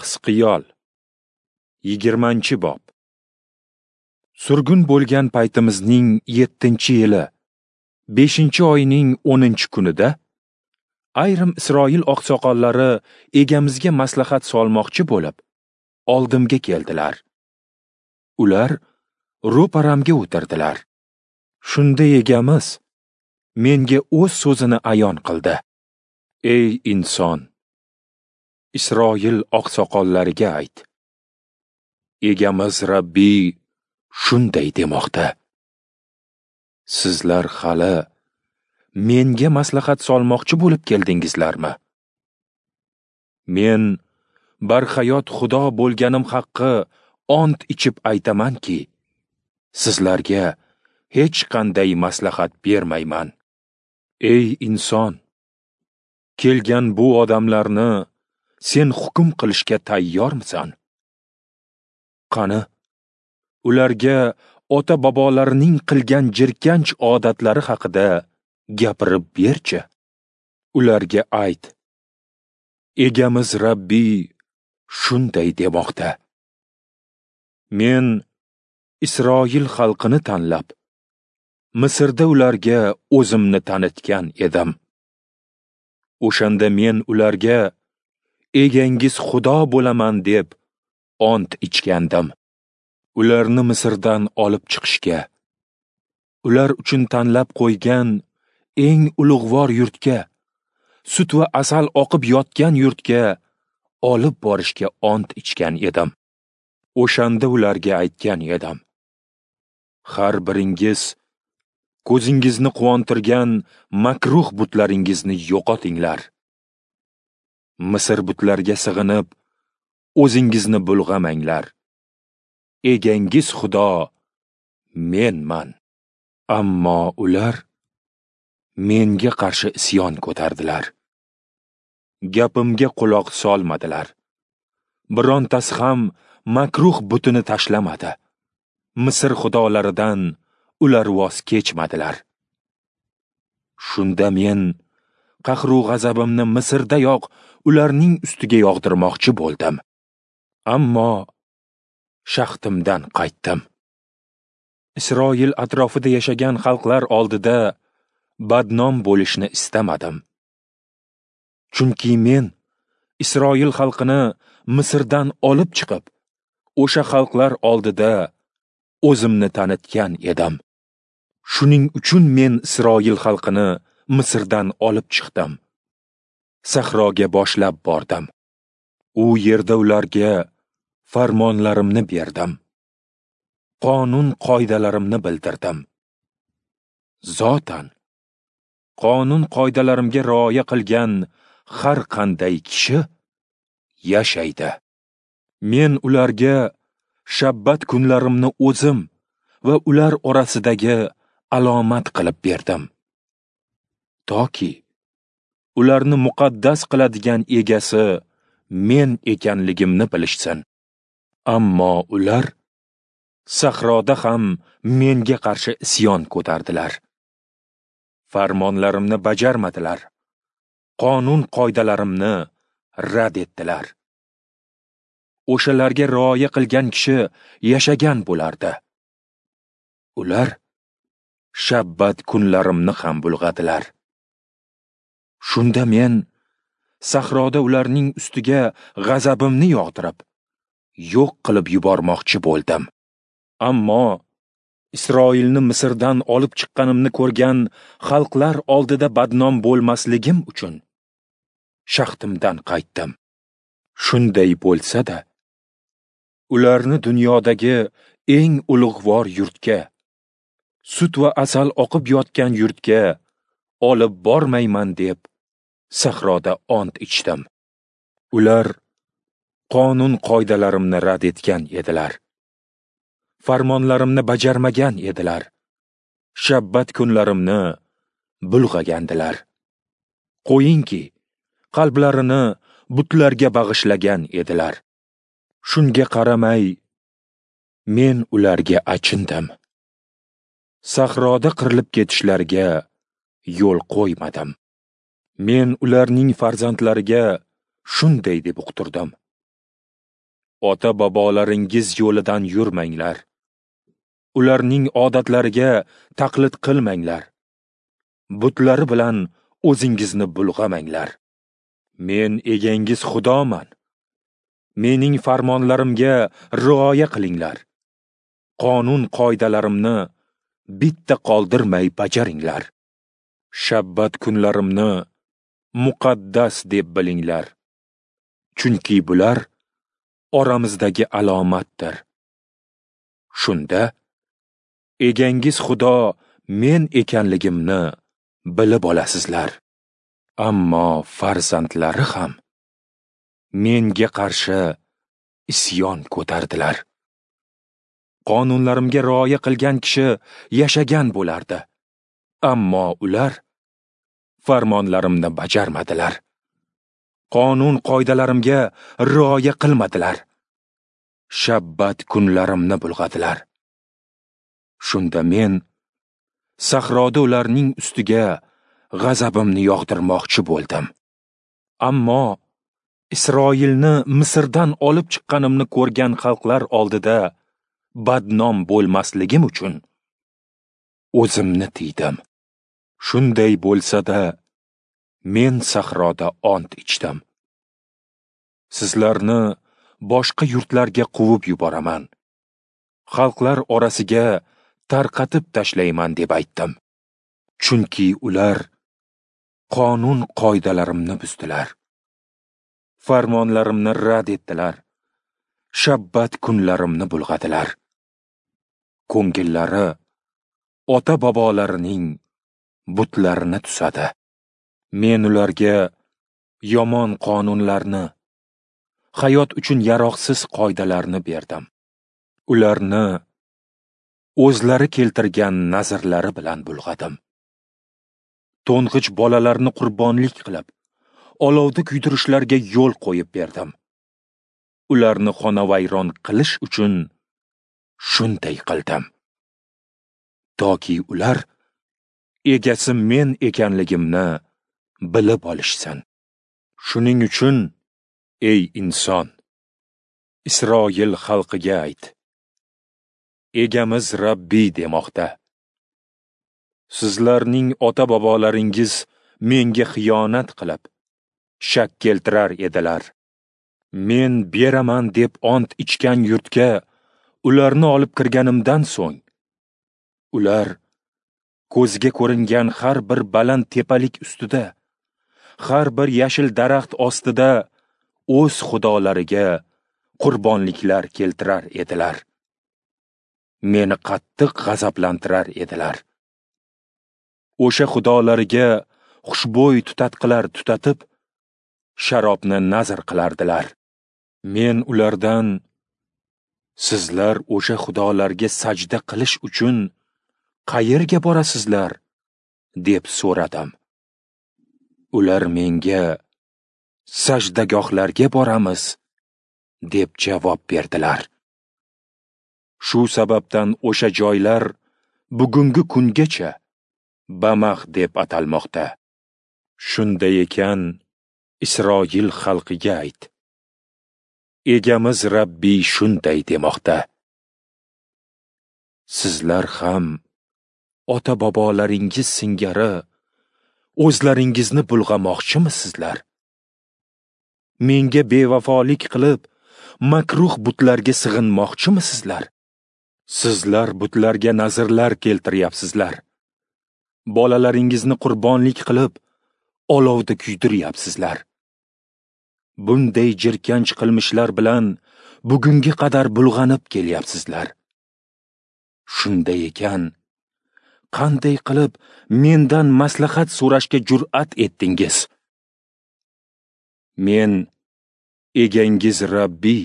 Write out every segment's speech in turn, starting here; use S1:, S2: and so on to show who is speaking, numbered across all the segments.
S1: Hizqiyol 20-bob. Surgun bo'lgan paytimizning 7-yili, 5-oyning 10-kunida ayrim Isroil oqsoqollari egamizga maslahat solmoqchi bo'lib, oldimga keldilar. Ular ro'paramga o'tirdilar. Shunda egamiz menga o'z so'zini ayon qildi. Ey inson, Isroil oqsoqollariga ayt. Egamiz Rabbiy shunday demoqda: Sizlar hali menga maslahat solmoqchi bo'lib keldingizlarmi? Men barhayot Xudo bo'lganim haqqi ont ichib aytamanki, sizlarga hech qanday maslahat bermayman. Ey inson, kelgan bu odamlarni sen hukm qilishga tayyormisan? Qani, ularga ota-bobolarining qilgan jirkanch odatlari haqida gapirib berchi. Ularga ayt: Egamiz Rabbiy shunday demoqda: Men Isroil xalqini tanlab, Misrda ularga o'zimni tanitgan edim. O'shanda men ularga egangiz Xudo bo'laman deb ont ichgandim. Ularni Misrdan olib chiqishga, ular uchun tanlab qo'ygan eng ulug'vor yurtga, sut va asal oqib yotgan yurtga olib borishga ont ichgan edim. O'shanda ularga aytgan edim: Har biringiz ko'zingizni quvontirgan makruh butlaringizni yo'qotinglar. Misr butlariga sig'inib, o'zingizni bulg'amanglar. Egangiz Xudo menman. Ammo ular menga qarshi isyon ko'tardilar. Gapimga quloq solmadilar. Birontasi ham makruh butini tashlamadi. Misr xudolaridan ular voz kechmadilar. Shunda men qahru g'azabimni Misrdayoq ularning ustiga yog'dirmoqchi bo'ldim. Ammo shaxtimdan qaytdim. Isroil atrofida yashagan xalqlar oldida badnom bo'lishni istamadim. Chunki men Isroil xalqini Misrdan olib chiqib, o'sha xalqlar oldida o'zimni tanitgan edim. Shuning uchun men Isroil xalqini Misrdan olib chiqdim. Sahroga boshlab bordim. U yerda ularga farmonlarimni berdim. Qonun qoidalarimni bildirdim. Zotan qonun qoidalarimga rioya qilgan har qanday kishi yashaydi. Men ularga shabbat kunlarimni o'zim va ular orasidagi alomat qilib berdim. Toki ularni muqaddas qiladigan egasi men ekanligimni bilishsin. Ammo ular sahroda ham menga qarshi isyon ko'tardilar. Farmonlarimni bajarmadilar. Qonun qoidalarimni rad etdilar. O'shalarga rioya qilgan kishi yashagan bo'lardi. Ular shabbat kunlarimni ham bulg'adilar. Shunda men sahroda ularning ustiga g'azabimni yog'dirib, yo'q qilib yubormoqchi bo'ldim. Ammo Isroilni Misrdan olib chiqqanimni ko'rgan xalqlar oldida badnom bo'lmasligim uchun shaxtimdan qaytdim. Shunday bo'lsa-da, ularni dunyodagi eng ulug'vor yurtga, sut va asal oqib yotgan yurtga olib bormayman deb sahroda ont ichdim. Ular qonun qoidalarimni rad etgan edilar. Farmonlarimni bajarmagan edilar. Shabbat kunlarimni bulg'agandilar. Qo'yingki, qalblarini butlarga bag'ishlagan edilar. Shunga qaramay, men ularga achindim. Sahroda qirilib ketishlariga yo'l qo'ymadim. Men ularning farzandlariga shunday deb uqtirdim: Ota-bobolaringiz yo'lidan yurmanglar. Ularning odatlariga taqlid qilmanglar. Butlari bilan o'zingizni bulg'amanglar. Men egangiz Xudoman. Mening farmonlarimga rioya qilinglar. Qonun qoidalarimni bitta qoldirmay bajaringlar. Shabbat kunlarimni muqaddas deb bilinglar. Chunki bular oramizdagi alomatdir. Shunda egangiz Xudo men ekanligimni bilib olasizlar. Ammo farzandlari ham menga qarshi isyon ko'tardilar. Qonunlarimga rioya qilgan kishi yashagan bo'lardi. Ammo ular farmonlarimni bajarmadilar. Qonun qoidalarimga rioya qilmadilar. Shabbat kunlarimni bulg'adilar. Shunda men sahroda ularning ustiga g'azabimni yog'dirmoqchi bo'ldim. Ammo Isroilni Misrdan olib chiqqanimni ko'rgan xalqlar oldida badnom bo'lmasligim uchun o'zimni tiydim. Shunday bo'lsa-da, men sahroda ont ichdim. Sizlarni boshqa yurtlarga quvib yuboraman. Xalqlar orasiga tarqatib tashlayman deb aytdim. Chunki ular qonun qoidalarimni buzdilar. Farmonlarimni rad etdilar. Shabbat kunlarimni bulg'adilar. Ko'ngillari ota-bobolarining butlarini tusadi. Men ularga yomon qonunlarni, hayot uchun yaroqsiz qoidalarni berdim. Ularni o'zlari keltirgan nazrlari bilan bulg'adim. To'ng'ich bolalarni qurbonlik qilib, olovda kuydirishlarga yo'l qo'yib berdim. Ularni xonavayron qilish uchun shunday qildim. Toki ular egasi men ekanligimni bilib olishsin. Shuning uchun, ey inson, Isroil xalqiga ayt. Egamiz Rabbiy demoqda. Sizlarning ota-bobolaringiz menga xiyonat qilib, shak keltirar edilar. Men beraman deb ont ichgan yurtga ularni olib kirganimdan so'ng, ular ko'zga ko'ringan har bir baland tepalik ustida, har bir yashil daraxt ostida o'z xudolariga qurbonliklar keltirar edilar. Meni qattiq g'azablantirar edilar. O'sha xudolariga xushbo'y tutatqilar tutatib, sharobni nazr qilardilar. Men ulardan, sizlar o'sha xudolarga sajda qilish uchun qayerga borasizlar, deb so'radim. Ular menga, sajdagohlarga boramiz, deb javob berdilar. Shu sababdan o'sha joylar bugungi kungacha Bamax deb atalmoqda. Shunday ekan, Isroil xalqiga ayt. Egamiz Rabbiy shunday demoqda. Sizlar ham ota-bobolaringiz singari o'zlaringizni bulg'amoqchimisizlar? Menga bevafolik qilib, makruh butlarga sig'inmoqchimisizlar? Sizlar butlarga nazrlar keltiryapsizlar. Bolalaringizni qurbonlik qilib, olovda kuydiryapsizlar. Bunday jirkanch qilmishlar bilan bugunga qadar bulg'anib kelyapsizlar. Shunday ekan, qanday qilib mendan maslahat so'rashga jur'at etdingiz? Men egangiz Rabbiy,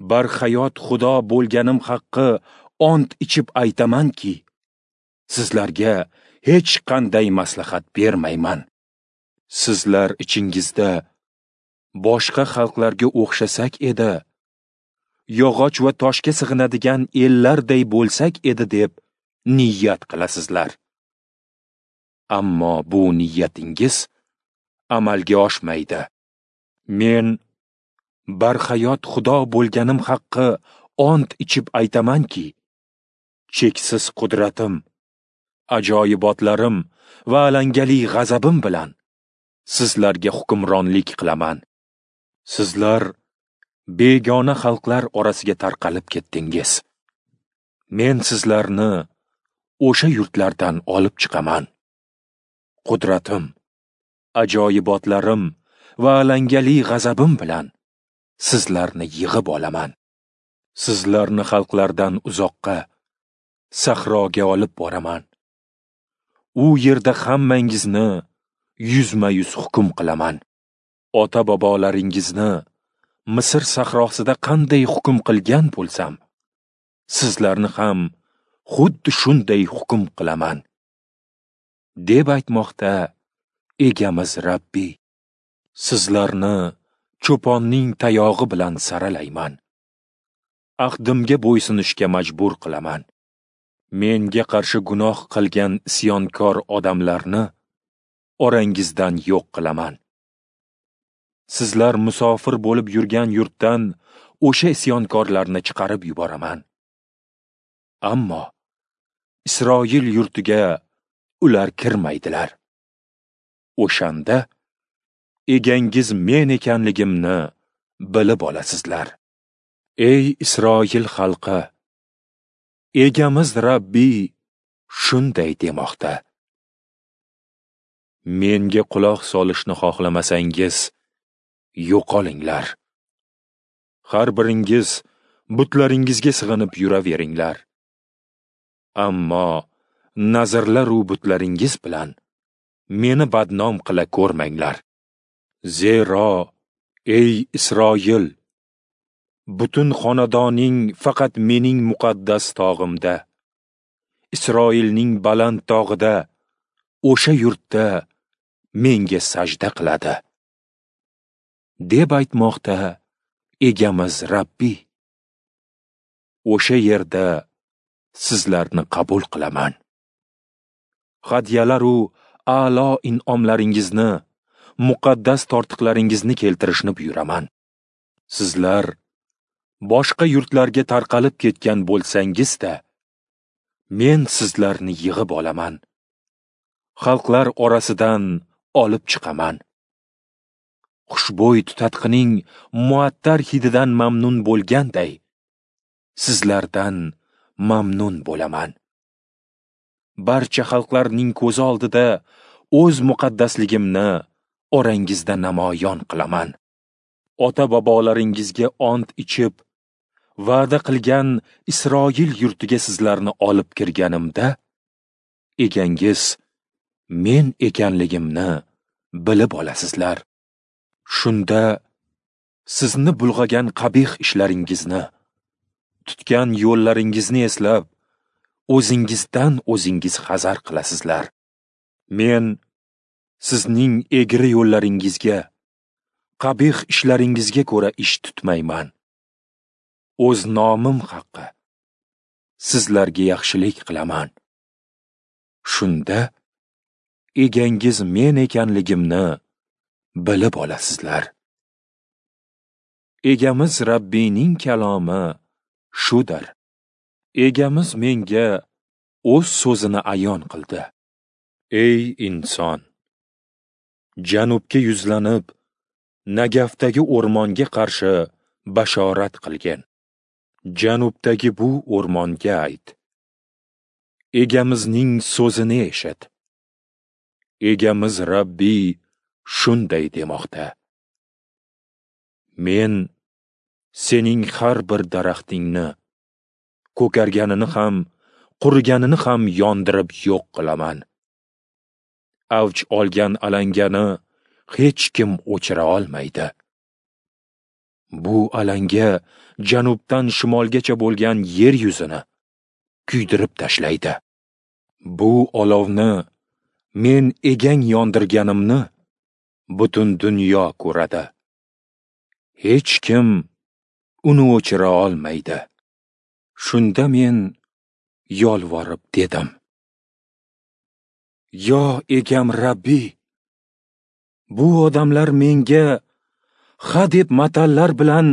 S1: barhayot Xudo bo'lganim haqqi ont ichib aytamanki, sizlarga hech qanday maslahat bermayman. Sizlar ichingizda boshqa xalqlarga o'xshasak edi, yog'och va toshga sig'inadigan ellarday bo'lsak edi deb niyat qilasizlar. Ammo bu niyatingiz amalga oshmaydi. Men Barhayot Xudo bo'lganim haqqi ont ichib aytamanki, cheksiz qudratim, ajoyibotlarim va alangali g'azabim bilan sizlarga hukmronlik qilaman. Sizlar begona xalqlar orasiga tarqalib ketdingiz. Men sizlarni o'sha yurtlardan olib chiqaman. Qudratim, ajoyibotlarim va alangali g'azabim bilan sizlarni yig'ib olaman. Sizlarni xalqlardan uzoqqa, sahroga olib boraman. U yerda hammangizni yuzma-yuz hukm qilaman. Ota-bobolaringizni Misr sahrosida qanday hukm qilgan bo'lsam, sizlarni ham xuddi shunday hukm qilaman, deb aytmoqda Egamiz Rabbiy. Sizlarni cho'ponning tayog'i bilan saralayman. Ahdimga bo'ysunishga majbur qilaman. Menga qarshi gunoh qilgan isyonkor odamlarni orangizdan yo'q qilaman. Sizlar musofir bo'lib yurgan yurtdan o'sha isyonkorlarni chiqarib yuboraman. Ammo Isroil yurtiga ular kirmaydilar. O'shanda egangiz men ekanligimni bilib olasizlar. Ey Isroil xalqi, Egamiz Rabbiy shunday demoqda: Menga quloq solishni xohlamasangiz, yo'qolinglar. Har biringiz butlaringizga sig'inib yuraveringlar. Ammo nazrlar u butlaringiz bilan meni badnom qila ko'rmanglar. Zero, ey Isroil, butun xonadoning faqat mening muqaddas tog'imda, Isroilning baland tog'ida, o'sha yurtda menga sajda qiladi, deb aytmoqda Egamiz Rabbiy. O'sha yerda sizlarni qabul qilaman. Hadyalar u a'lo in'omlaringizni, muqaddas tortiqlaringizni keltirishni buyuraman. Sizlar boshqa yurtlarga tarqalib ketgan bo'lsangiz-da, men sizlarni yig'ib olaman. Xalqlar orasidan olib chiqaman. Xushbo'y tutatqining muattar hididan mamnun bo'lganday, sizlardan mamnun bo'laman. Barcha xalqlarning ko'zi oldida o'z muqaddasligimni orangizda namoyon qilaman. Ota-bobolaringizga ont ichib, va'da qilgan Isroil yurtiga sizlarni olib kirganimda, egangiz men ekanligimni bilib olasizlar. Shunda sizni bulg'agan qabih ishlaringizni, tutgan yo'llaringizni eslab, o'zingizdan o'zingiz hazar qilasizlar. Men sizning egri yo'llaringizga, qabih ishlaringizga ko'ra ish tutmayman. O'z nomim haqqi sizlarga yaxshilik qilaman. Shunda egangiz men ekanligimni bilib olasizlar. Egamiz Rabbiyning kalomi shudir. Egamiz menga o'z so'zini ayon qildi. Ey inson, janubga yuzlanib, Nagafdagi o'rmonga qarshi bashorat qilgin. Janubdagi bu o'rmonga ayt: Egamizning so'zini eshit. Egamiz Rabbiy shunday demoqda: Men sening har bir daraxtingni, ko'karganini ham, quriganini ham yondirib yo'q qilaman. Avj olgan alangani hech kim o'chira olmaydi. Bu alanga janubdan shimolgacha bo'lgan yer yuzini kuydirib tashlaydi. Bu olovni men egang yondirganimni butun dunyo ko'radi. Hech kim uni o'chira olmaydi. Shunda men yolvorib dedim: Yo egam Rabbiy, bu odamlar menga Ha deb matallar bilan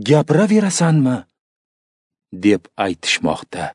S1: gapiraverasanmi? Deb aytishmoqda.